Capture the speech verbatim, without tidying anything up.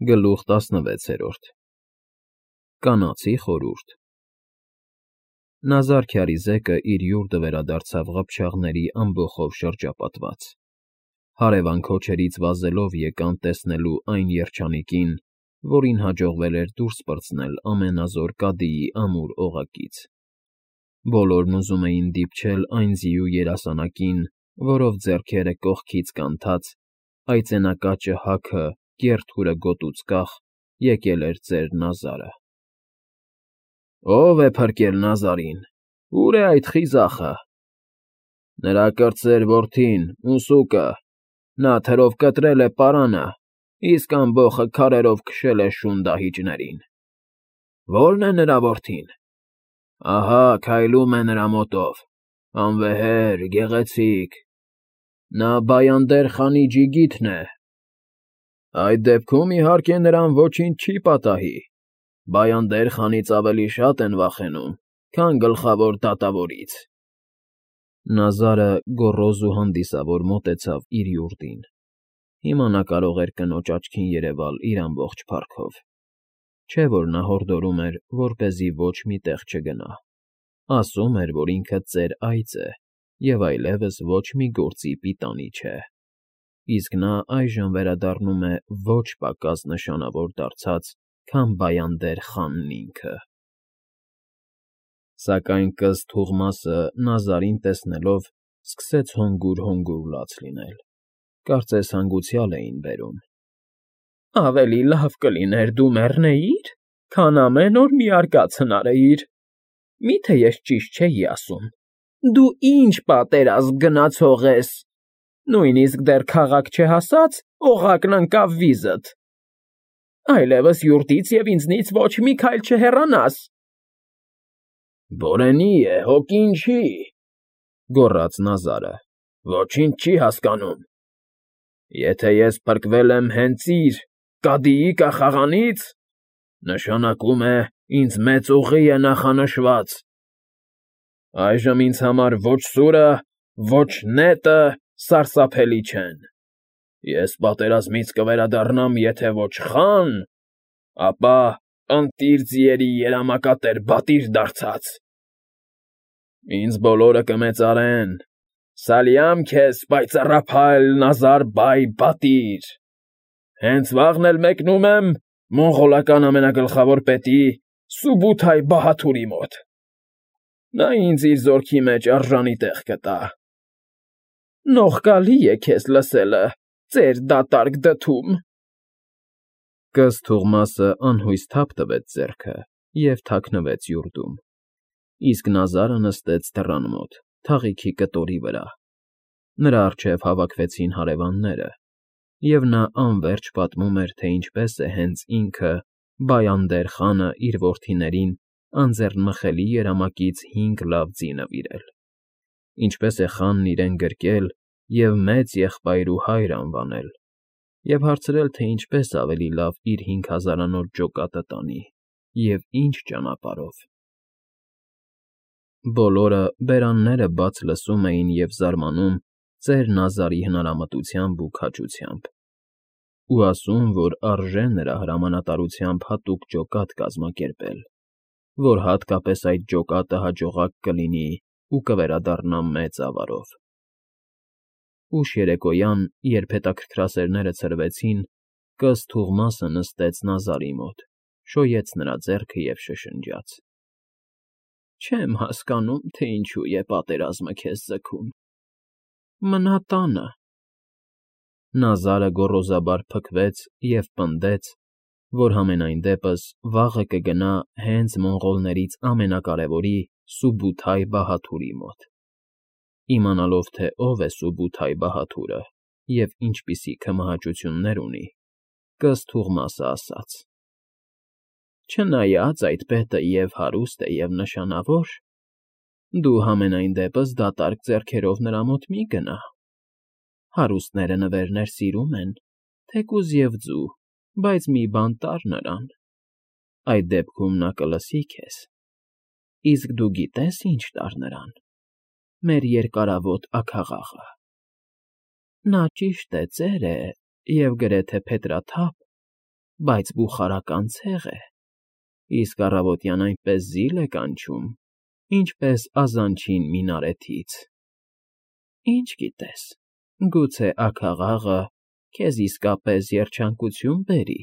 Գլուխ տասնվեցերորդ Կանացի խորհուրդ Նազար քյարիզեկը իր յուրտը վերադարձավ ղփչաղների ամբոխով շրջապատված, հարևան քոչերից վազելով եկան տեսնելու այն երջանիկին, որին հաջողվել էր դուրս պրծնել ամենազոր կադիի ամուր օղակից. բոլորն ուզում էին դիպչել այն ձիու երասանակին, որով ձեռքերը կողքից կանթած, այծենակաճը հագը, կեռ թուրը գոտուց կախ, եկել էր ծեր Նազարը։ Ո՞վ է փրկել Նազարին, ո՞ւր է այդ խիզախը։ Նրա կրտսեր որդին, Մուսուկը, նա թրով կտրել է պարանը, իսկ ամբոխը քարերով քշել է շուն դահիճներին։ Ո՞րն է նրա որդին։ Ահա քայլում է նրա մոտով, անվեհեր, գեղեցիկ, նա Բայանդեր խանի ջիգիթն է։ Այդ դեպքում, իհարկե, նրան ոչինչ չի պատահի, Բայանդեր խանից ավելի շատ են վախենում, քան գլխավոր դատավորից։ Նազարը գոռոզ ու հանդիսավոր մոտեցավ իր յուրտին, հիմա նա կարող էր կնոջ աչքին երևալ իր ամբողջ փառքով, չէ՞ որ նա հորդորում էր, որպեսզի ոչ մի տեղ չգնա, ասում էր, որ ինքը ծեր այծ է և այլևս ոչ մի գործի պիտանի չէ, իսկ նա այժմ վերադառնում է ոչ պակաս նշանավոր դարձած, քան Բայանդեր խանն ինքը։ Սակայն կըստ Թուղմասը Նազարին տեսնելով սկսեց հոգուր֊հոգուր լաց լինել, կարծես հանգուցյալ էին բերում։ Ավելի լավ կլիներ դու մեռնեիր, քան ամեն օր մի արկած հնարեիր, միթե ես ճիշտ չէի ասում, դու ինչ պատերազմ գնացող ես, նույնիսկ դեռ քաղաք չհասած, օղակն ընկավ վիզդ, այլևս յուրտից և ինձնից ոչ մի քայլ չհեռանաս։ Բորենի է, հոգին չի, գոռաց Նազարը, ոչինչ չի հասկանում։ Եթե ես փրկվել եմ հենց իր, կադիի կախաղանից, նշանակում է ինձ մեծ ուղի է նախանշված։ Այժմ ինձ համար ոչ սուրը, ոչ նետը սարսափելի չեն։ Ես պատերազմից կվերադառնամ եթե ոչ խան, ապա ընտիր ձիերի երամակատեր բատիր դարձած։ Ինձ բոլորը կմեծարեն, սալյամ քեզ պայծառափայլ Նազար֊բայ բատիր։ Հենց վաղն էլ մեկնում եմ մոնղոլական ամենագլխավոր պետի Սուբութայ֊Բահաթուրի մոտ։ Նա ինձ իր զորքի մեջ արժանի տեղ կտա։ Նողկալի է քեզ լսելը, ծեր դատարկ դդում։ Կըստ Թուղմասը անհույս թափ տվեց ձեռքը և թաքնվեց յուրտում, իսկ Նազարը նստեց դռան մոտ, թաղիքի կտորի վրա։ Նրա առջև հավաքվեցին հարևանները, և նա անվերջ պատմում էր, թե ինչպես է հենց ինքը, Բայանդեր խանը իր որդիներին անձեռնմխելի երամակից հինգ լավ ձի նվիրել, ինչպես է խանն իրեն գրկել և մեծ եղբայր ու հայր անվանել, և հարցրել, թե ինչպես ավելի լավ իր հինգ հազարանոց ջոկատը տանի և ինչ ճանապարհով։ Բոլորը բերանները բաց լսում էին և զարմանում ծեր Նազարի հնարամտությամբ ու քաջությամբ, ու ասում, որ արժե նրա հրամանատարությամբ հատուկ ջոկատ կազմակերպել, որ հատկապես այդ ջոկատը հաջողակ կլինի ու կվերադառնա մեծ ավարով։ Ուշ երեկոյան, երբ հետաքրքրասերները ցրվեցին, կըստ Թուղմասը նստեց Նազարի մոտ, շոյեց նրա ձեռքը և շշնջաց. Չեմ հասկանում, թե ինչու է պատերազմը քեզ ձգում։ Մնա տանը։ Նազարը գոռոզաբար փքվեց և պնդեց, որ համենայն դեպս վաղը կգնա հենց մոնղոլներից ամենակարևորի Սուբութայ֊Բահաթուրի մոտ, իմանալով, թե ով է Սուբութայ֊Բահաթուրը և ինչպիսի քմահաճություններ ունի, կըստ Թուղմասը ասաց. Չնայած այդ պետը և հարուստ է, և նշանավոր, դու համենայն դեպս դատարկ ձեռքերով նրա մոտ մի գնա։ Հարուստները նվերներ սիրում են, թեկուզ և ձու, բայց մի բան տար նրան, այդ դեպքում նա կլսի քեզ, իսկ դու գիտե՞ս ինչ տար նրան, մեր երկարավոտ աքաղաղը։ Նա ճիշտ է, ծեր է և գրեթե փետրաթափ, բայց բուխարական ցեղ է, իսկ առավոտյան այնպես զիլ է կանչում, ինչպես ազանչին մինարեթից։ Ինչ գիտես, գուցե աքաղաղը քեզ իսկապես երջանկություն բերի։